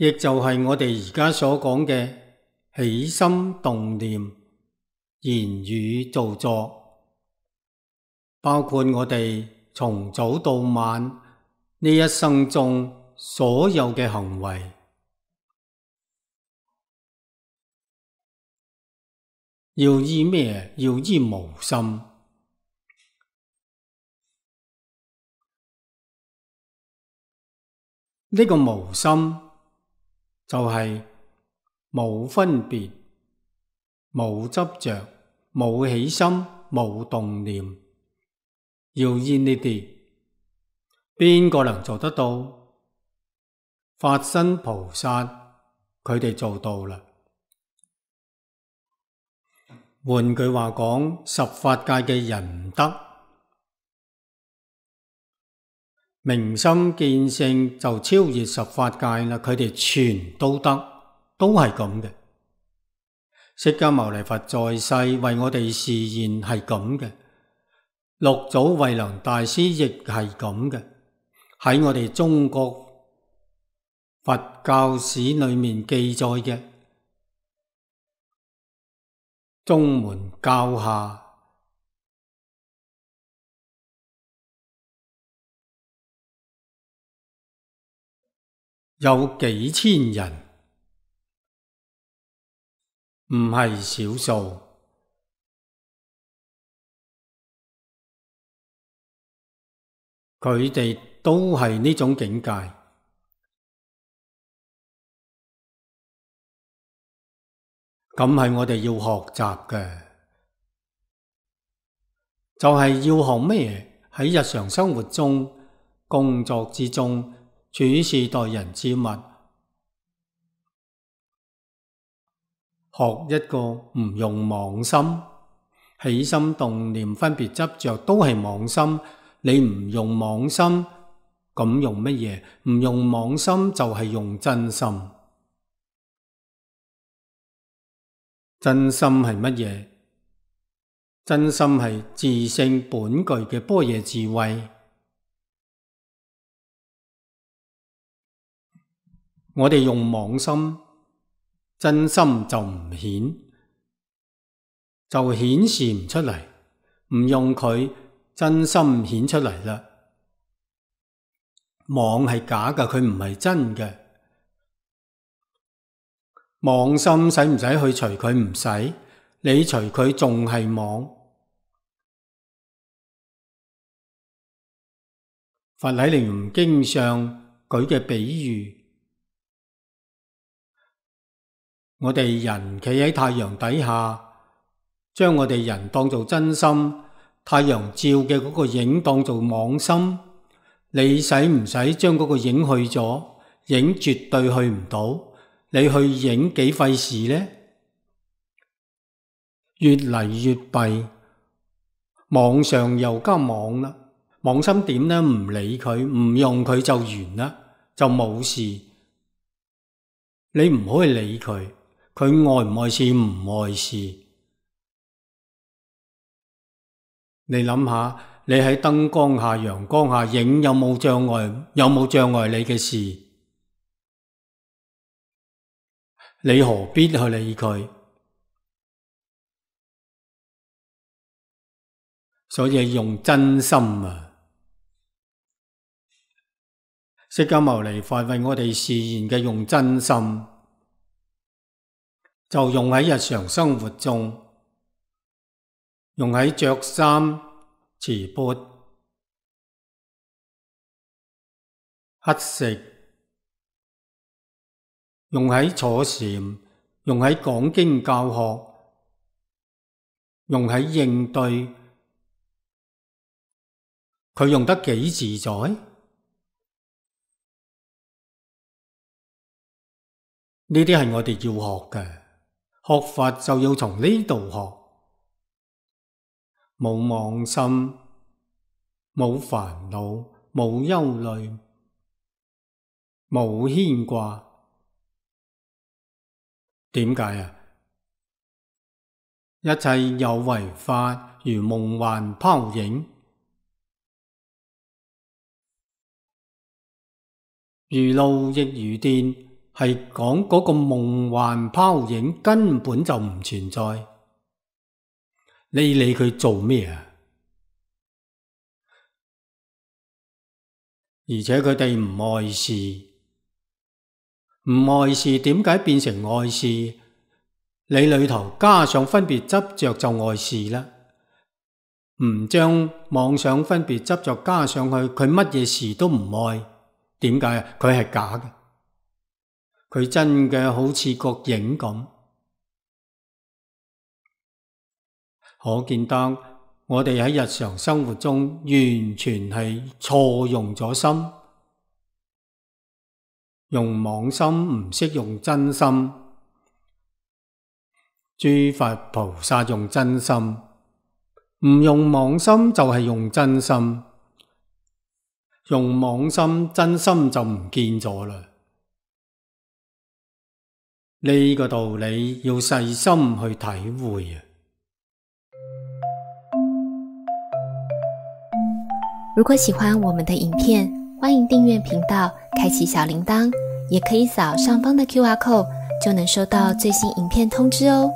亦就係我哋而家所講嘅起心動念、言語造作，包括我哋從早到晚呢一生中所有嘅行為，要依咩？要依無心。呢個無心就係冇分別、冇執着、冇起心、冇動念，要依呢啲，邊個能做得到？法身菩薩佢哋做到啦。換句話講，十法界嘅人唔得，明心見性就超越十法界啦。佢哋全都得，都係咁嘅。釋迦牟尼佛在世為我哋示現係咁嘅，六祖慧能大師亦係咁嘅。喺我哋中國佛教史裏面記載嘅宗門教下，有幾千人，唔係少數。佢哋都係呢種境界，咁係我哋要學習嘅，就係要學咩？喺日常生活中、工作之中、處事待人接物，學一個唔用妄心，起心動念、分別執着都係妄心。你唔用妄心，咁用乜嘢？唔用妄心就係用真心。真心係乜嘢？真心係自性本具嘅般若智慧。我哋用妄心，真心就唔顯，就顯示唔出嚟。唔用佢，真心顯出嚟啦。妄係假嘅，佢唔係真嘅。妄心使唔使去除佢？唔使，你除佢仲係妄。佛喺《楞嚴經》上舉嘅比喻，我哋人企喺太陽底下，將我哋人當做真心，太陽照嘅嗰個影當做妄心，你使唔使將嗰個影去咗？影絕對去唔到，你去影幾費事呢？越嚟越弊，妄上又加妄啦。妄心點呢？唔理佢，唔用佢就完啦，就冇事。你唔可以理佢，佢愛唔愛事唔愛事。你諗下，你喺燈光下、陽光下影有冇障礙？有冇障礙你嘅事？你何必去理佢？所以用真心啊！釋迦牟尼佛為我哋示現嘅用真心，就用喺日常生活中，用喺着衫、持缽、乞食，用喺坐禪，用喺講經教學，用喺應對，佢用得幾自在？呢啲係我哋要學嘅，學法就要從呢度學。冇妄心，冇煩惱，冇憂慮，冇牽掛。點解啊？一切有為法如夢幻泡影，如露亦如電，係講嗰個夢幻泡影根本就唔存在。你理佢做咩啊？而且佢哋唔礙事，唔礙事點解變成礙事？你裏頭加上分別執着就礙事啦。唔將妄想分別執着加上去，佢乜嘢事都唔愛。點解啊？佢係假嘅，佢真嘅好似個影咁。可見得我哋喺日常生活中完全係錯用咗心，用妄心唔識用真心。諸佛菩薩用真心，唔用妄心就係用真心，用妄心真心就唔見咗啦。呢個道理要細心去體會啊！如果喜歡我們的影片，歡迎訂閱頻道，開啟小鈴鐺，也可以掃上方的QR code，就能收到最新影片通知哦。